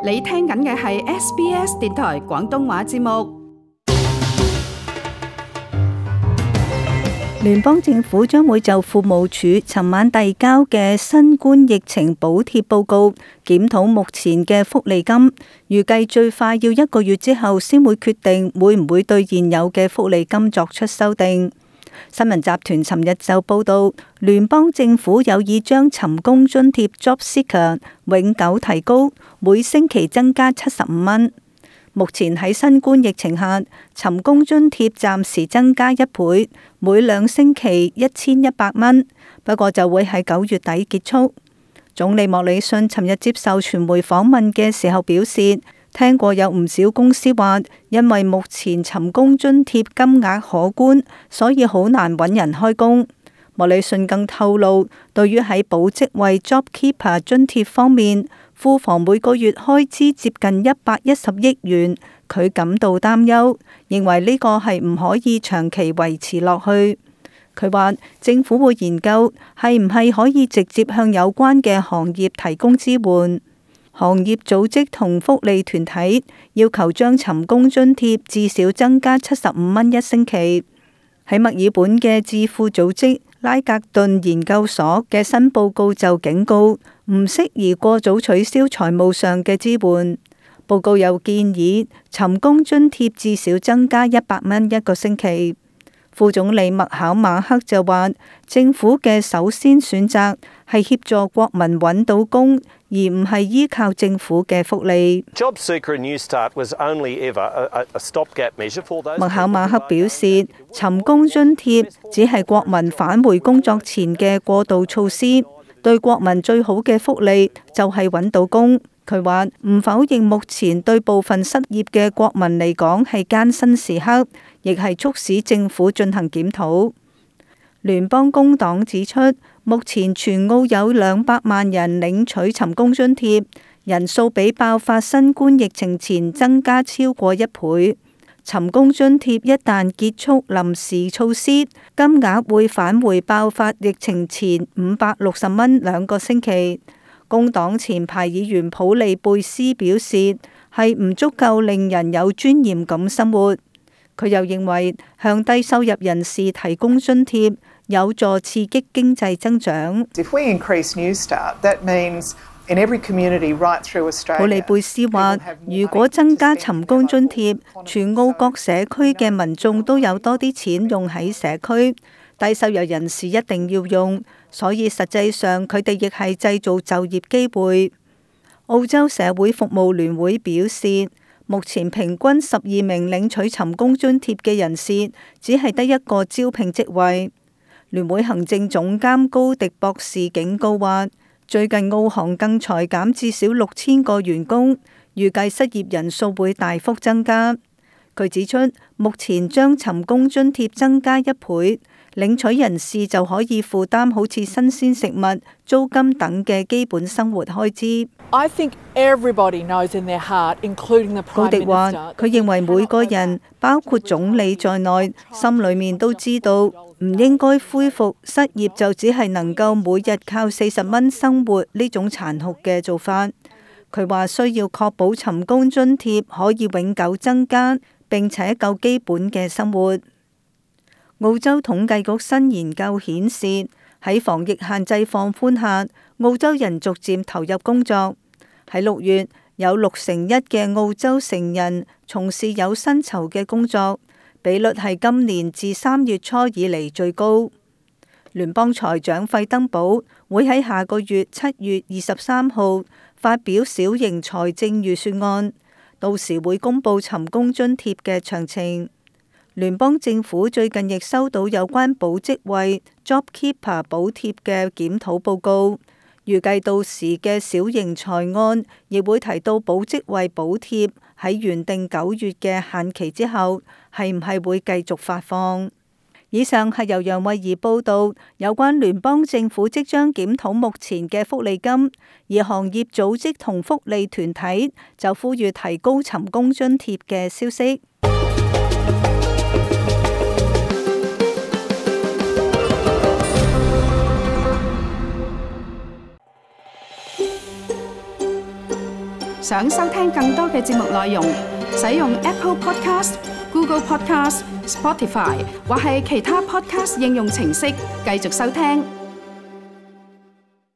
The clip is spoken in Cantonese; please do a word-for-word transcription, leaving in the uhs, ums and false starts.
你聽緊嘅係 S B S 電台廣東話節目。聯邦政府將會就庫務署尋晚遞交嘅新冠疫情補貼報告檢討目前嘅福利金，預計最快要一個月之後先會決定會唔會對現有嘅福利金作出修訂。新聞集團尋日就報道，聯邦政府有意將尋工津貼 Job Seeker 永久提高，每星期增加七十五蚊。目前喺新冠疫情下，尋工津貼暫時增加一倍，每兩星期一千一百蚊，不過就會喺九月底結束。總理莫里遜尋日接受傳媒訪問嘅時候表示，聽過有唔少公司話，因為目前尋工津貼金額可觀，所以好難揾人開工。莫里遜更透露，對於喺保職位 JobKeeper 津貼方面，庫房每個月開支接近一百一十億元，佢感到擔憂，認為呢個係唔可以長期維持落去。佢話政府會研究係唔係可以直接向有關嘅行業提供支援。行業組織同福利團體要求將尋工津貼至少增加七十五蚊一星期。喺墨爾本嘅智庫組織拉格頓研究所嘅新報告就警告，唔適宜過早取消財務上嘅支援。報告又建議尋工津貼至少增加一百蚊一個星期。副總理麥考馬克就話，政府嘅首先選擇係協助國民揾到工，而唔係依靠政府嘅福利。麥考馬克表示，尋工津貼只係國民返回工作前嘅過渡措施，對國民最好嘅福利就係揾到工。佢話唔否認目前對部分失業嘅國民嚟講係艱辛時刻，亦係促使政府進行檢討。聯邦工黨指出，目前全澳有兩百萬人領取尋工津貼，人數比爆發新冠疫情前增加超過一倍。尋工津貼一旦結束臨時措施，金額會返回爆發疫情前五百六十蚊兩個星期。工黨前排議員普利貝斯表示，係唔足夠令人有尊嚴咁生活。佢又認為向低收入人士提供津貼有助刺激經濟增長。普利貝斯話，如果增加尋工津貼，全澳各社區嘅民眾都有多啲錢用喺社區，低收入人士一定要用，所以實際上佢哋亦係製造就業機會。澳洲社會服務聯會表示，目前平均十二名領取尋工津貼嘅人士，只係得一個招聘職位。聯會行政總監高迪博士警告話，最近澳行更裁減至少六千個員工，預計失業人數會大幅增加。佢指出，目前將尋工津貼增加一倍，領取人士就可以負擔好似新鮮食物、租金等嘅基本生活開支。高迪話，佢認為每個人，包括總理在內，心裏面都知道唔應該恢復失業就只係能夠每日靠四十蚊生活呢種殘酷嘅做法。佢話需要確保尋工津貼可以永久增加，並且夠基本嘅生活。澳洲統計局新研究顯示，喺防疫限制放寬下，澳洲人逐漸投入工作。喺六月，有六成一嘅澳洲成人從事有薪酬嘅工作，比率係今年自三月初以嚟最高。聯邦財長費登堡會喺下個月七月二十三號發表小型財政預算案，到時會公布尋工津貼嘅詳情。聯邦政府最近亦收到有關保職位 JobKeeper 補貼嘅檢討報告，預計到時嘅小型財案亦會提到保職位補貼喺原定九月嘅限期之後，係唔係會繼續發放。以上係由楊慧儀報道有關聯邦政府即將檢討目前嘅福利金，而行業組織同福利團體就呼籲提高尋工津貼嘅消息。想收聽更多嘅節目內容，使用 Apple Podcast、Google Podcast、Spotify 或係其他 Podcast 應用程式繼續收聽。